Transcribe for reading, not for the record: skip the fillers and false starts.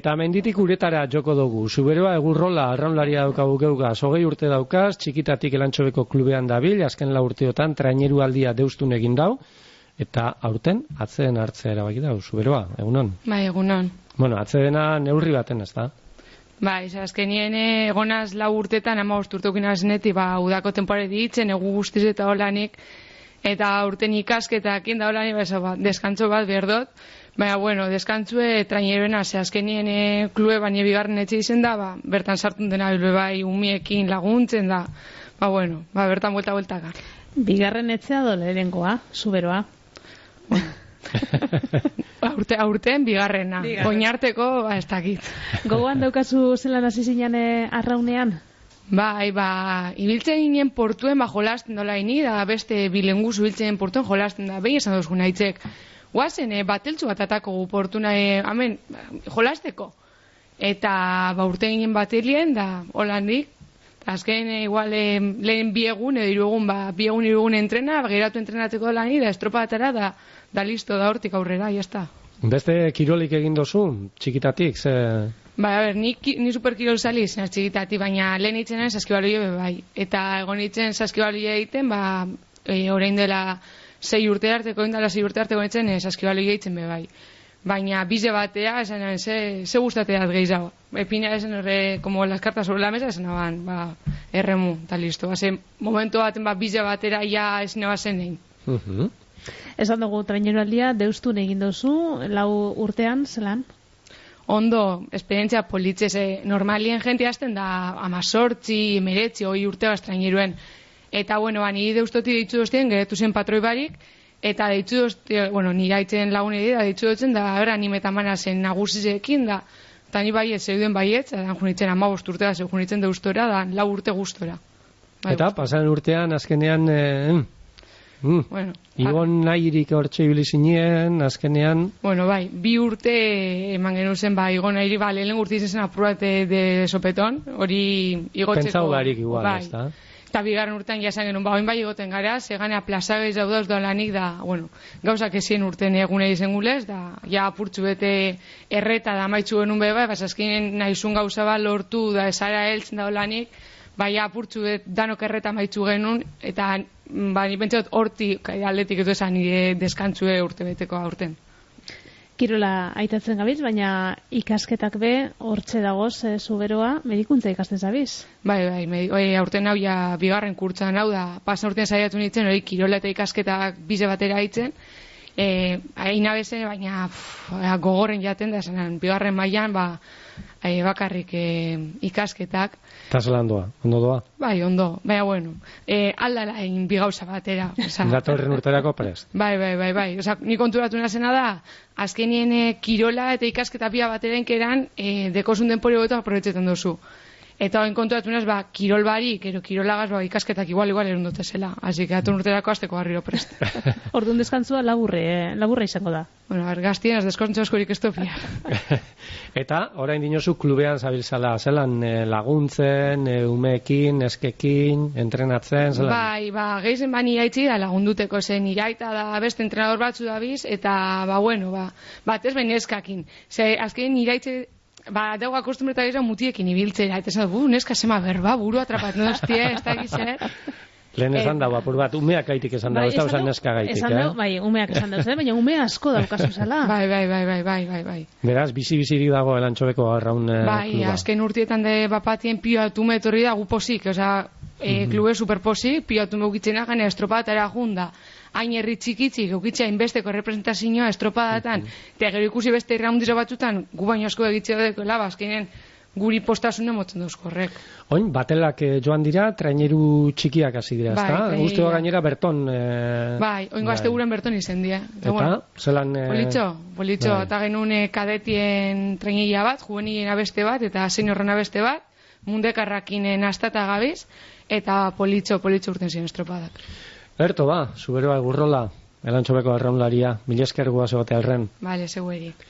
Eta menditik uretara joko dugu. Zuberoa egurrola arraunlaria daukagu geugaz. 20 urte daukaz, txikitatik Elantxobeko klubean dabil, azken 4 urteotan traineru aldia deustun egin dau, eta aurten atzeen hartzea erabaki dau. Zuberoa, egunon? Bai, egunon. Bueno, atzedena neurri baten, ez da? Bai, azkenien egonaz 4 urtetan, 15 urteukin azenetik, udako temporari ditzen, egu guztiz eta holanik, eta urten ikasketak inda holanik, deskantzo bat berdot. Baina, bueno, deskantzue traineroena, azkenien klube baina bigarren etxe izen da, bertan sartun dena bilbe bai umiekin laguntzen da, bueno, bertan buelta-bueltaka. Bigarren etxea dole lehenkoa, Zuberoa. Aurten bigarrena. Oinarteko, ez dakit. Gogoan daukazu zelan hasi zinen arraunean? Bai, ibiltzen ginen portuen jolasten dola ini, da beste bilenguz ibiltzen portuen jolasten da, behin esan dozgun haitzek. Guazen, bateltzu bat atako gu portuna, hemen, jolasteko. Eta, urte ginen batelien, da, holandik, azken, igual, lehen biegun, edo irugun, biegun entrena, geratu entrenateko lan da, estropadatara, da listo, da hortik aurrera, jazta. Beste kirolik egin dozu, txikitatik, ze... Ni superkirol zali izan txikitatik, baina lehen itzen saskibaloi bai. Eta egon itzen saskibaloi egiten, orain dela 6 urte arteko, indala 6 urte arteko itzen saskibaloi egiten bai. Baina bize batea, esan ze gustatea gehiago. Epina esan horre, como las cartas sobre la mesa, esan aban, erremu, eta listo. Momentu baten bize batera ja esan abazen egin. Esan dugu traineroaldia, deustun egin dozu, 4 urtean, zelan? Ondo, esperientzia politzese, normalien jente hasten da 18, 19, 20 urte traineruen. Eta, ni deustoti deitzu doztien, geretu zen patroi barik, eta deitzu doztien, nire haitzen lagunei da, deitzu dotzen, da, animetan mana zen nagusizekin, da, eta ni baiet, zeuden baiet, da, junitzen 15 urte da, junitzen deustora, da, 4 urte gustora. Eta, pasan urtean, azkenean, Igon nahirik hortxe ibili zinien, azkenean... 2 urte eman genuen zen, Igon nahiri, lehen urte izan zen apurate de sopeton, hori igotzeko... Pentsau garik igual, ez da? Eta bigarren urtean jasan genuen, oin igoten gara, zegane plazagaiz daudaz doalanik da, gauzak ezien urten egune izen gulez, da, ja apurtzu bete erreta da maitzu genuen beba, azkenean nahizun gauza bat lortu da esara heltzen da doalanik, apurtzu danok erreta maitzu genuen, eta ni pentsatot hortik aldetik edo esan nire deskantzue urte beteko aurten. Kirola aitatzen gabiz, baina ikasketak be, hortxe dagoz, Zuberoa, medikuntza ikasten zabiz? Bai, aurten hau ja bigarren kurtsan hau da, pasan urtean saiatu nintzen, hori kirola eta ikasketak bize batera haitzen, aina bezen, baina gogorren jaten da, esanen, bigarren mailan, bakarrik ikasketak. Eta zelan doa, ondo doa? Bai, ondo, baina, aldala egin bigauza batera. Datorren urterako prest? Bai, ni konturatu nazena da, azkenien kirola eta ikasketa bia bateren keran, dekozun denpori goetu aprobetxetan dozu. Eta hoen konturatu naz, kirol barik, kirolagaz, ikasketak igual erundote zela. Así que datorren urterako azteko garriro prest. Orduan deskantzua laburra izango da. Gaztien az deskantzua askorik ez topia. Eta, orain dinozu klubean zabiltzala, zelan laguntzen, umeekin, neskekin, entrenatzen, zelan? Gehizen iraitzi da lagunduteko zen, iraita da beste entrenador batzu dabiz, eta, batez behin neskakin. Azken iraitze, dauga kostumbreta gizan mutiekin ibiltzera, eta esan, neska sema berba, buru atrapat, no hostia, ez da gizet. Lehen esan dago, apur bat, umeak gaitik esan dago, ez da usan neska gaitik, umeak esan dago, baina ume asko daukazu zela. Bai. Beraz, bizi-bizirik dago Elantxobeko arraun kluba. Azken urtietan de bapatien pioatume etorri da guposik, klube superposik, pioatume ukitzena gane estropadetara junda. Hain herri txikitzik, eukitza inbesteko representazioa estropadatan, eta gero ikusi beste irraundizo batzutan, gu baino asko egitzea deko laba, azkenean guri postasunen motzen dauzko horrek. Oin, batelak joan dira, traineru txikiak hasi dira, ezta? Guztua gainera Berton... oin gazte guren Berton izen dira. Eta, zelan... Politxo, eta genuen kadetien traineria bat, juvenilien abeste bat, eta seniorren abeste bat, mundekarrakinen astata gabiz, eta politxo urten ziren estropadak. Zuberoa egurrola, Elantxobeko arraunlaria, mila esker guaz egote alren. Bale, zeueri.